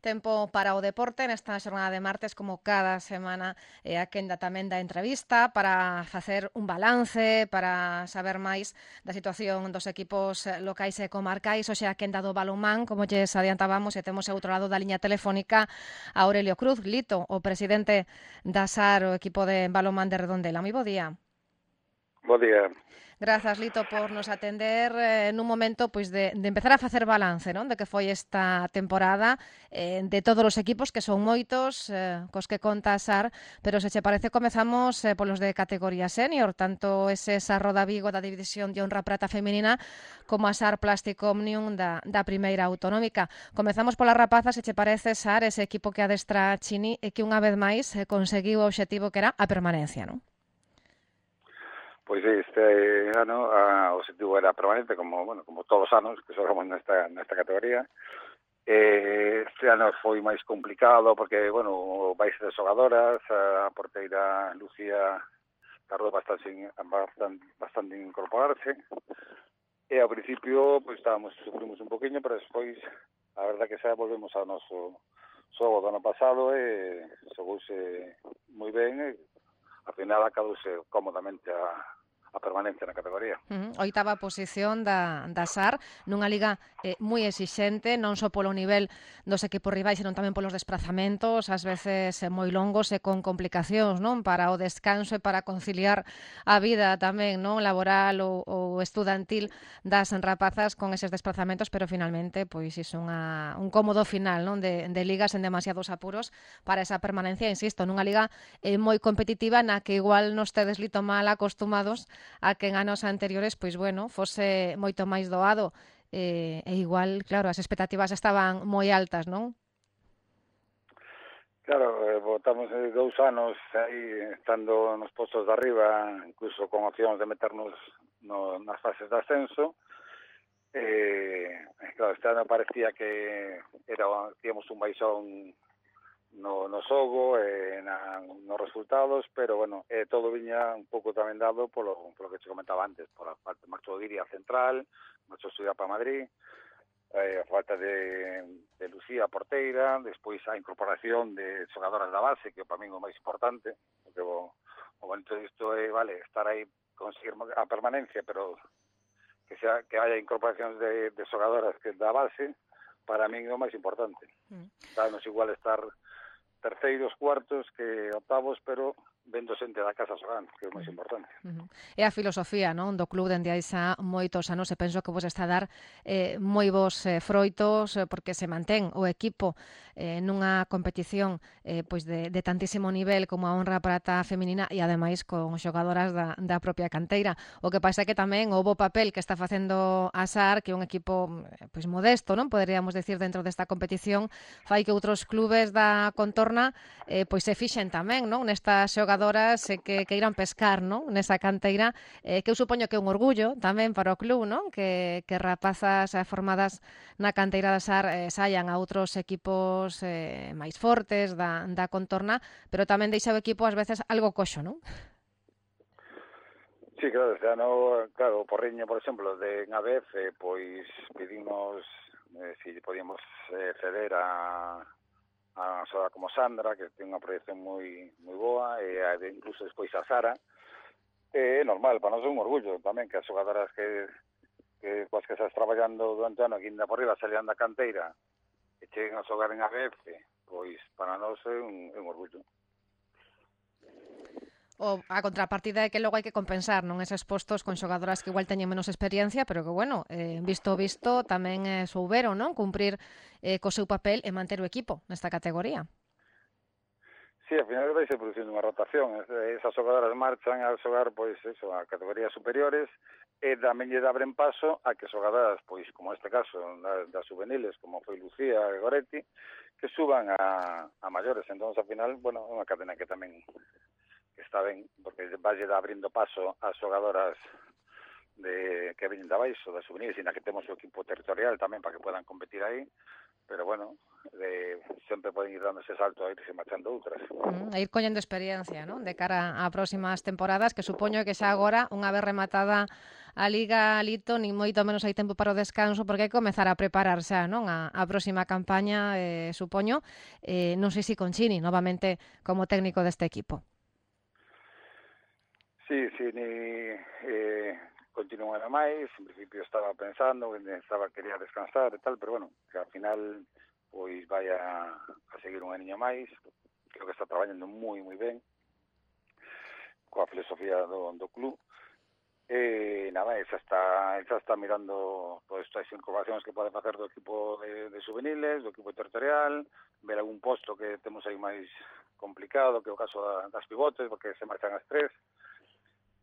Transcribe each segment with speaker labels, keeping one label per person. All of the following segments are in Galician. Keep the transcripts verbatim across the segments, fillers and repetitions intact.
Speaker 1: Tempo para o deporte nesta xornada de martes, como cada semana, e a quenda tamén da entrevista para facer un balance, para saber máis da situación dos equipos locais e comarcais. Hoxe a quenda do balonmán, como lles adiantábamos, e temos ao outro lado da liña telefónica a Aurelio Cruz, Lito, o presidente da S A R, o equipo de balonmán de Redondela. Moi bo día.
Speaker 2: Bo día.
Speaker 1: Grazas, Lito, por nos atender eh, nun momento pois de, de empezar a facer balance, non? De que foi esta temporada, eh, de todos os equipos, que son moitos, eh, cos que conta a S A R, pero se che parece comezamos eh, polos de categoría senior, tanto ese S A R Roda Vigo da División de Honra Prata Feminina como a S A R Plástico Omnium da, da Primeira Autonómica. Comezamos pola rapaza, se che parece, S A R, ese equipo que adestra Chini e que unha vez máis eh, conseguiu o obxectivo que era a permanencia, non?
Speaker 2: Pois este ano a, o objetivo era permanente, como bueno como todos os anos que xogamos nesta, nesta categoría. Eh, este ano foi máis complicado porque, bueno, vais de xogadoras, a porteira Lucía tardou bastante, bastante, bastante en incorporarse, e ao principio pois estábamos, sufrimos un poquinho, pero despois a verdad que xa volvemos ao noso xogo do ano pasado e xogouse moi ben e ao final acadouse cómodamente a a permanencia na categoría.
Speaker 1: Uh -huh. Oitava posición da, da S A R, nunha liga eh, moi exixente, non só polo nivel dos equipos rivais, senón tamén polos desplazamentos, ás veces eh, moi longos e con complicacións, non? Para o descanso e para conciliar a vida tamén, non? Laboral ou, ou estudantil das rapazas con eses desplazamentos, pero finalmente, pois, iso unha, un cómodo final, non? De, de ligas en demasiados apuros para esa permanencia, insisto, nunha liga eh, moi competitiva na que igual nos tedes lito mal acostumados a que en anos anteriores, pois bueno, fose moito máis doado e, e igual, claro, as expectativas estaban moi altas, non?
Speaker 2: Claro, eh, votamos dous anos aí estando nos postos de arriba, incluso con opcións de meternos no, nas fases de ascenso. Eh, claro, este ano parecía que era, tíamos un baixón no, no xogo e na, nos resultados, pero bueno, eh, todo viña un pouco tamén dado polo, polo que te comentaba antes, por a parte marchou Diria Central, marchou estudiar para Madrid, eh, a falta de, de Lucía porteira, despois a incorporación de xogadoras da base, que para mí é o máis importante, porque o, o bonito disto é, vale, estar aí, conseguir a permanencia, pero que sea que haya incorporacións de, de xogadoras que da base, para mí é o máis importante. Mm. Sabemos igual estar terceiros, cuartos que octavos, pero vendo xente da casa xogando, que é o máis importante.
Speaker 1: Uh -huh. É a filosofía, non, do club dende hai xa moitos anos, e penso que vos está a dar eh, moi bons eh, froitos, eh, porque se mantén o equipo eh, nunha competición eh, pois de, de tantísimo nivel como a Honra Prata Feminina e ademais con xogadoras da, da propia canteira. O que pasa é que tamén o bo papel que está facendo a S A R, que é un equipo pois modesto, non, poderíamos decir, dentro desta competición, fai que outros clubes da contorna eh, pois se fixen tamén, non, nestas xogadoras eh, que, que irán pescar, non, nesa canteira, eh, que eu supoño que é un orgullo tamén para o club, non? Que, que rapazas formadas na canteira da S A R eh, saian a outros equipos eh, máis fortes da, da contorna, pero tamén deixa o equipo ás veces algo coxo, non?
Speaker 2: Sí, claro, este ano, claro, o Porriño, por exemplo, de A B F, pois pedimos eh, si podíamos eh, ceder a a xogadora como Sandra, que ten unha proyección moi moi boa, e a, incluso despois a Sara. É normal, para nós é un orgullo tamén que as xogadoras que, que coas que estás traballando durante o ano aquí ainda por riba salían da canteira e cheguen a xogar en A B F, pois para nós é un, é un orgullo.
Speaker 1: O a contrapartida é que logo hai que compensar, non, eses postos con xogadoras que igual teñen menos experiencia, pero que, bueno, eh, visto visto, tamén eh, souberon, non, cumprir eh, co seu papel e manter o equipo nesta categoría.
Speaker 2: Sí, ao final vai ser producindo unha rotación. Esas xogadoras marchan a xogar, pois, eso, a categorías superiores e tamén lle abren paso a que xogadoras, pois, como este caso, das, das juveniles, como foi Lucía e Goretti, que suban a, a maiores. Entón, ao final, bueno, é unha cadena que tamén que está ben, porque vai abrindo paso ás xogadoras de que veñen de abaixo, das juveniles, e na que temos o equipo territorial tamén para que puedan competir aí, pero bueno, de, sempre poden ir dando ese salto a irse marchando outras.
Speaker 1: Mm, a ir coñendo experiencia, non? De cara a próximas temporadas, que supoño que xa agora, unha vez rematada a Liga Lito, nin moito menos hai tempo para o descanso, porque hai que comezar a preparar xa, non? A, a próxima campaña, eh, supoño, eh, non sei se con Chini, novamente como técnico deste equipo.
Speaker 2: Sí, sí, ni eh, continúa a máis, en principio estaba pensando, que estaba quería descansar e tal, pero bueno, que ao final pois vai a, a seguir un aniño máis, creo que está traballando moi, moi ben, coa filosofía do, do club, e nada, esa está, esa está mirando todas estas incorporacións que pode facer do equipo de, de juveniles, do equipo territorial, ver algún posto que temos aí máis complicado, que é o caso da, das pivotes, porque se marchan as tres,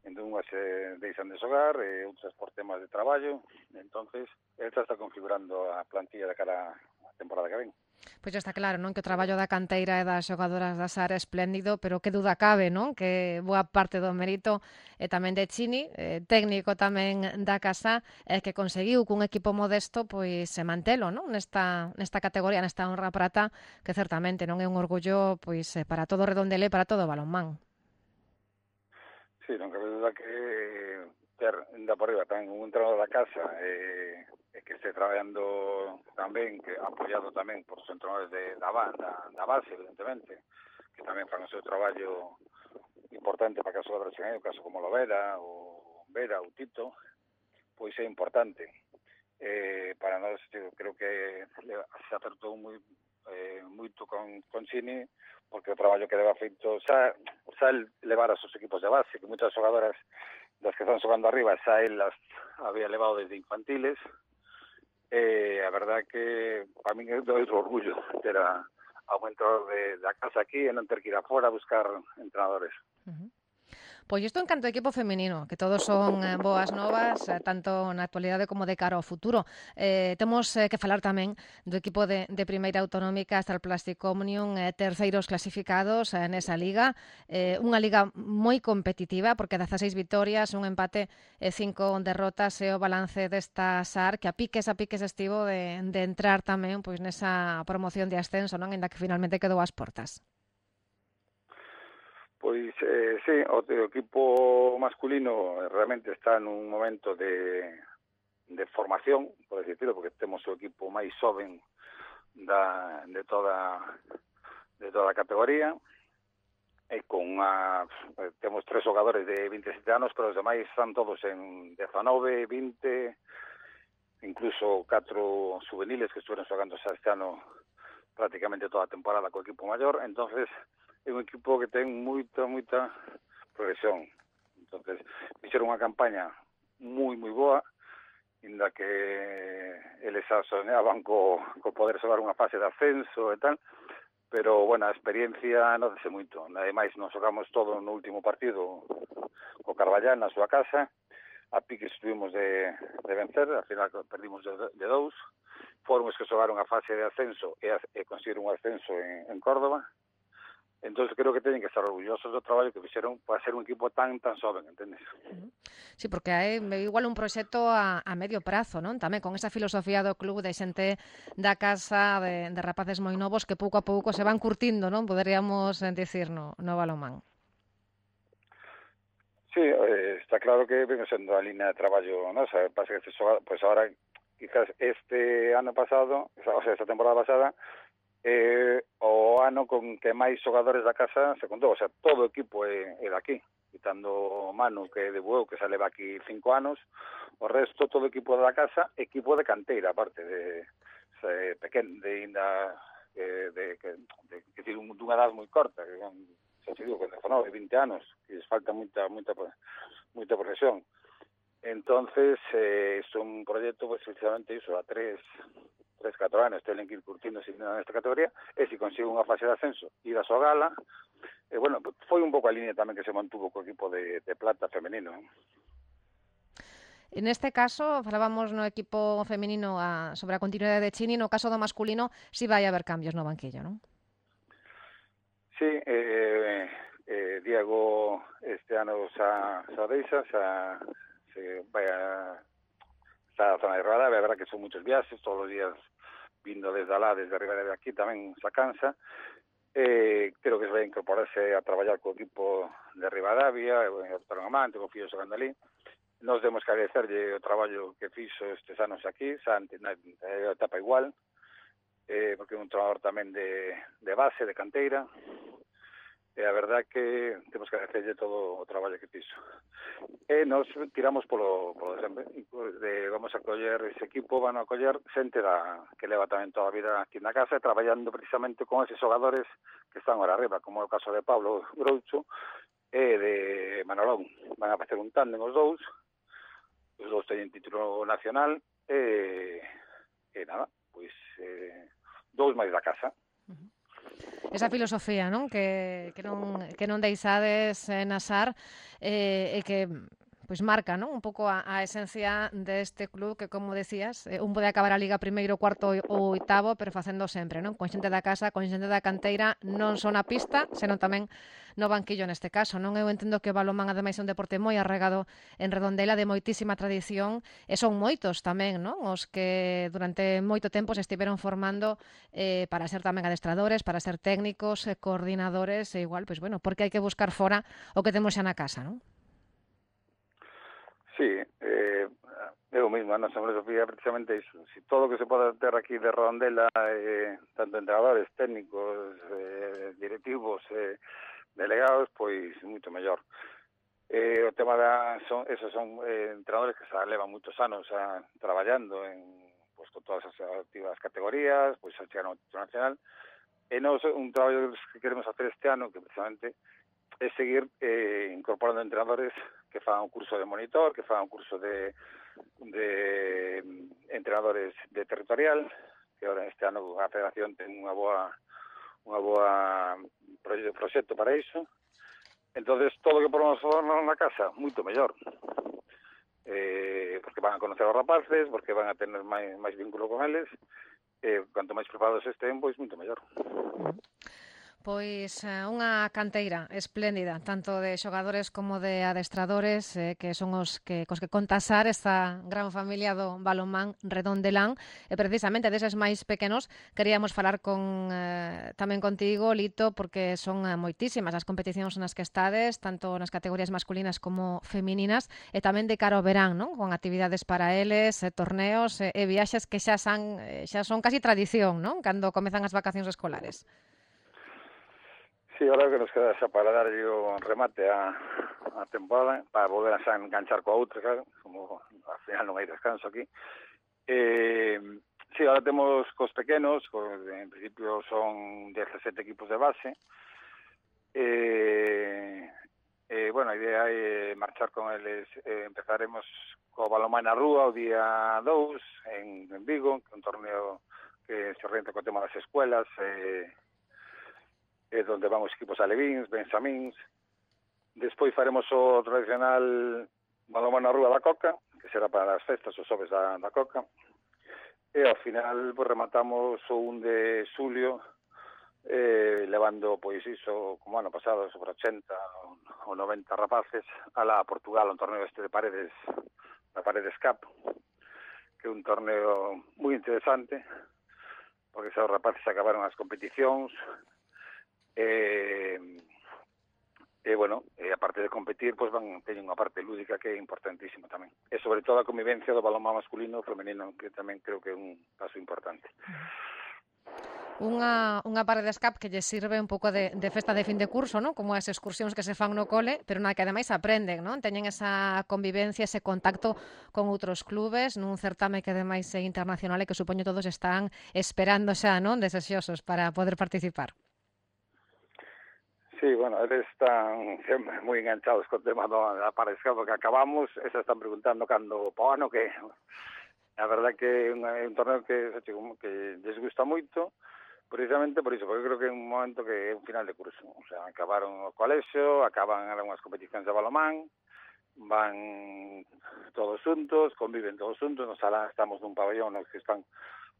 Speaker 2: entón unhas se deixan de xogar e outras por temas de traballo, entonces esta está configurando a plantilla de cara a temporada que ven.
Speaker 1: Pois está claro, non? Que o traballo da canteira e das xogadoras da Sara é espléndido, pero que duda cabe, non? Que boa parte do mérito é tamén de Chini, eh, técnico tamén da casa, e que conseguiu cun equipo modesto pois se mantelo, non? Nesta nesta categoría, nesta honra prata, que certamente non é un orgullo pois para todo o Redondela e para todo o balonmán.
Speaker 2: Sí, non cabe duda que ter da por arriba tamén un entrenador da casa e, e que este traballando tamén, que apoiado tamén por os entrenadores de, da, da, da base, evidentemente, que tamén fan o seu traballo importante para que as xogadoras cheguen, o caso como Lovera, o Vera, o Tito, pois é importante. Eh, para nós, eu creo que se acertou moi eh, moito con, con Chini, porque o traballo que leva feito xa, xa levar a seus equipos de base, que moitas xogadoras das que están xogando arriba xa el las había levado desde infantiles, e eh, a verdad que para min é outro orgullo ter a, a un entrenador de, da casa aquí e non ter que ir afora a buscar entrenadores.
Speaker 1: Uh-huh. Pois isto en canto ao equipo feminino, que todos son eh, boas novas, eh, tanto na actualidade como de cara ao futuro. Eh, temos eh, que falar tamén do equipo de, de primeira autonómica, Star Plastic Omnium, eh, terceiros clasificados eh, nesa liga. Eh, unha liga moi competitiva, porque dezaseis vitorias, un empate e cinco derrotas, e o balance desta S A R, que a piques a piques estivo de, de entrar tamén pois nesa promoción de ascenso, non? Ainda que finalmente quedou ás portas.
Speaker 2: Pois, eh, sí, o, o equipo masculino realmente está nun momento de, de formación, por decirlo, porque temos o equipo máis xoven da, de toda de toda a categoría, e con unha, temos tres xogadores de vinte e sete anos, pero os demais están todos en dezanove, vinte, incluso catro juveniles que estuveron xogando xa este ano prácticamente toda a temporada co equipo maior, entonces é un equipo que ten moita, moita progresión. Entonces, fixeron unha campaña moi, moi boa, inda que eles xa soñaban co, co poder xogar unha fase de ascenso e tal, pero, bueno, a experiencia non dese moito. Ademais, nos xogamos todo no último partido co Carballán na súa casa, a pique estuvimos de, de vencer, al final perdimos de, de dous, foron os que xogaron a fase de ascenso e, e conseguiron un ascenso en, en Córdoba. Entón, creo que teñen que estar orgullosos do traballo que fixeron para ser un equipo tan tan xoven, entendes?
Speaker 1: Sí, porque hai igual un proxecto a, a medio prazo, non? Tamén con esa filosofía do club de xente da casa, de, de rapaces moi novos que pouco a pouco se van curtindo, non? Poderíamos dicir no, no balonmán.
Speaker 2: Sí, eh, está claro que ven sendo a línea de traballo, non? O sea, pasa que este xogado, pues ahora, quizás este ano pasado, o sea, esta temporada pasada, eh, o ano con que máis xogadores da casa se contou, o sea, todo o equipo é, é daqui, quitando Manu, que de Bueu, que xa leva aquí cinco anos, o resto, todo o equipo da casa, equipo de canteira, aparte de, de pequeno, de ainda, de, de, de, de, de, de dunha edad moi corta, que son, xa se digo, dezanove, vinte anos, que les falta moita, moita, moita progresión. Entonces, eh, é un proxecto, pues, precisamente iso, a tres, tres, catro anos, tenen que ir curtindo nesta categoría, e se consigue unha fase de ascenso, ir a súa gala, e, bueno, foi un pouco a línea tamén que se mantuvo co equipo de, de plata femenino.
Speaker 1: En este caso, falábamos no equipo femenino a, sobre a continuidade de Chini, no caso do masculino, si vai haber cambios no banquillo, non?
Speaker 2: Sí, eh, eh, Diego este ano xa, xa deixa, xa se vai a está a zona de Rada, a verdad que son muchos viaxes, todos os días vindo desde alá, desde arriba de aquí, tamén sa cansa. Eh, creo que se vai incorporarse a traballar co equipo de Rivadavia, o Torón Amante, co Fío xogando ali. Nos demos que agradecerlle o traballo que fixo estes anos aquí, Santi, na, na etapa igual, eh, porque é un trabador tamén de, de base, de canteira, e a verdad que temos que agradecerlle todo o traballo que fixo. E nos tiramos polo, polo de sempre, de, vamos a coller ese equipo, van a coller xente da, que leva tamén toda a vida aquí na casa, traballando precisamente con esos xogadores que están ahora arriba, como é o caso de Pablo Groucho e de Manolón. Van a facer un tándem os dous, os dous teñen título nacional, e, e nada, pois eh, dous máis da casa.
Speaker 1: Esa filosofía, non? Que, que non que non deixades eh, nasar eh, e que pois marca, non? Un pouco a, a esencia deste club que, como decías, eh, un pode acabar a Liga primeiro, cuarto ou oitavo, pero facendo sempre, non? Con xente da casa, con xente da canteira, non só na pista, senón tamén no banquillo neste caso, non? Eu entendo que o balonmán ademais é un deporte moi arraigado en Redondela, de moitísima tradición, e son moitos tamén, non? Os que durante moito tempo se estiveron formando eh, para ser tamén adestradores, para ser técnicos, eh, coordinadores, e igual, pois bueno, porque hai que buscar fora o que temos xa na casa, non?
Speaker 2: Sí, eh, eu mesmo, a nosa filosofía precisamente iso. Si todo o que se pode ter aquí de Redondela, eh, tanto entrenadores, técnicos, eh, directivos, eh, delegados, pois moito mellor. Eh, o tema da, son, esos son eh, entrenadores que se levan moitos anos a, traballando en, pues, con todas as activas categorías, pois a chegar ao título nacional. E nos, un traballo que queremos hacer este ano, que precisamente é seguir eh, incorporando entrenadores que fagan un curso de monitor, que fagan un curso de, de entrenadores de territorial, que ahora este ano a Federación ten unha boa unha boa proxecto para iso. Entonces todo o que podemos fazer na casa, moito mellor. Eh, porque van a conocer os rapaces, porque van a tener máis, máis vínculo con eles, e eh, cuanto máis preparados estén, pois moito mellor.
Speaker 1: Pois unha canteira espléndida, tanto de xogadores como de adestradores, eh, que son os que cos que contasar esta gran familia do balonmán Redondelán. E precisamente deses máis pequenos queríamos falar con eh, tamén contigo, Lito, porque son eh, moitísimas as competicións nas que estades, tanto nas categorías masculinas como femininas, e tamén de cara ao verán, non? Con actividades para eles, eh, torneos eh, e viaxes que xa san, eh, xa son casi tradición, non? Cando comezan as vacacións escolares.
Speaker 2: Sí, ahora que nos queda xa para darlle o remate a, a temporada, para volver a xa enganchar coa outra, claro, como ao final non hai descanso aquí. Eh, sí, ahora temos cos pequenos, cos, en principio son dezasete equipos de base. Eh, eh, bueno, a idea é marchar con eles, eh, empezaremos co balonmán na rúa o día dous en, en Vigo, que é un torneo que se orienta co tema das escuelas, eh, é onde van os equipos alevíns, benxamíns. Despois faremos o tradicional balonmán na rúa da Coca, que será para as festas, os xoves da, da Coca. E ao final pues, rematamos o un de xulio, eh, levando, pois iso, como ano pasado, sobre ochenta ou noventa rapaces, a la Portugal, un torneo este de Paredes, da Paredes Cup, que é un torneo moi interesante, porque xa os rapaces acabaron as competicións, E, e bueno, e aparte de competir, pois van teñen unha parte lúdica que é importantísima tamén. E sobre todo a convivencia do balonmán masculino e femenino, que tamén creo que é un paso importante.
Speaker 1: Unha, unha Paredes Cup que lle sirve un pouco de, de festa de fin de curso, non? Como as excursións que se fan no cole, pero na que ademais aprenden, non? Teñen esa convivencia, ese contacto con outros clubes, nun certame que ademais é internacional e que supoño todos están esperando xa, non? Desexosos para poder participar.
Speaker 2: Sí, bueno, eles están sempre moi enganchados co tema da Paredes Cup, que acabamos, e se están preguntando cando po ano que... A verdad que é un, é un torneo que, que les gusta moito, precisamente por iso, porque creo que é un momento que é un final de curso. O sea, acabaron o colexio, acaban unhas competicións de balonmán, van todos xuntos, conviven todos xuntos, nos sala estamos nun pabellón nos que están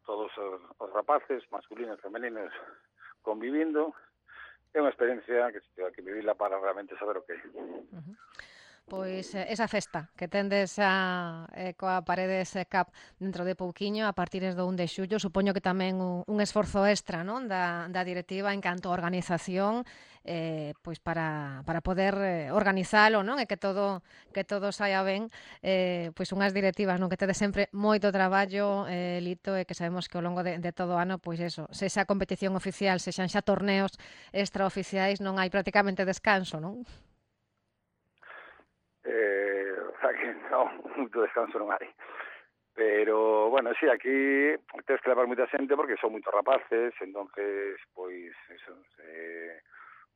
Speaker 2: todos os, os rapaces, masculinos, femeninos, convivindo. É unha experiencia que se tiver que vivirla para realmente saber o que é.
Speaker 1: Uh-huh. Pois eh, esa festa que tendes a, eh, coa Paredes eh, Cup dentro de pouquiño, a partir do un de xullo, supoño que tamén un, un esforzo extra, non, da, da directiva en canto a organización, eh, pois para, para poder eh, organizalo, non, e que todo que todo saia ben, eh, pois unhas directivas, non, que tedes sempre moito traballo, eh, Lito, e que sabemos que ao longo de, de todo o ano, pois eso, se xa competición oficial, se xan xa torneos extraoficiais, non hai prácticamente descanso, non?
Speaker 2: Eh, o sea que non, moito descanso non hai. Pero, bueno, sí, aquí tens que levar moita xente porque son moitos rapaces, entonces, pois, eso, eh,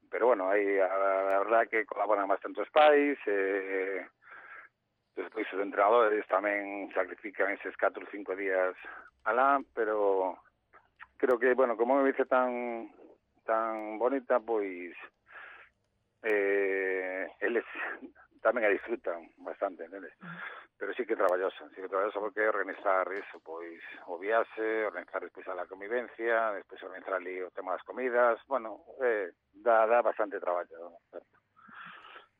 Speaker 2: pero bueno, aí a, a verdad que colaboran bastante os pais, eh, despois os entrenadores tamén sacrifican eses catro ou cinco días alá, pero creo que, bueno, como me dice tan tan bonita, pois eh, eles tamén a disfrutan bastante, neles. Pero sí que traballosa, sí que traballosa porque organizar eso, pois o viaxe, organizar despois a la convivencia, despois organizar ali o tema das comidas, bueno, eh, dá, dá bastante traballo,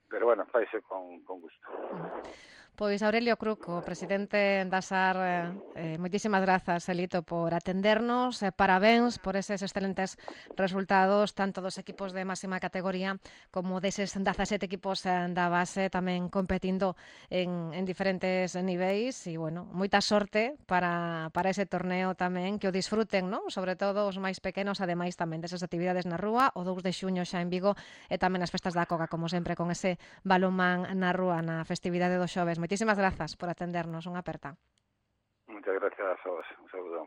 Speaker 2: pero bueno, faise con, con gusto.
Speaker 1: Pois Aurelio Cruco, presidente da S A R, eh, moitísimas grazas, Elito, por atendernos, eh, parabéns por eses excelentes resultados, tanto dos equipos de máxima categoría como deses dezasete equipos eh, da base, tamén competindo en, en diferentes niveis, e, bueno, moita sorte para, para ese torneo tamén, que o disfruten, non? Sobre todo os máis pequenos, ademais tamén desas actividades na rúa, o dous de xuño xa en Vigo, e tamén as festas da Coca, como sempre, con ese balonmán na rúa, na festividade do xoves. Moitísimas grazas por atendernos. Unha aperta.
Speaker 2: Muchas gracias a vos. Un saludo.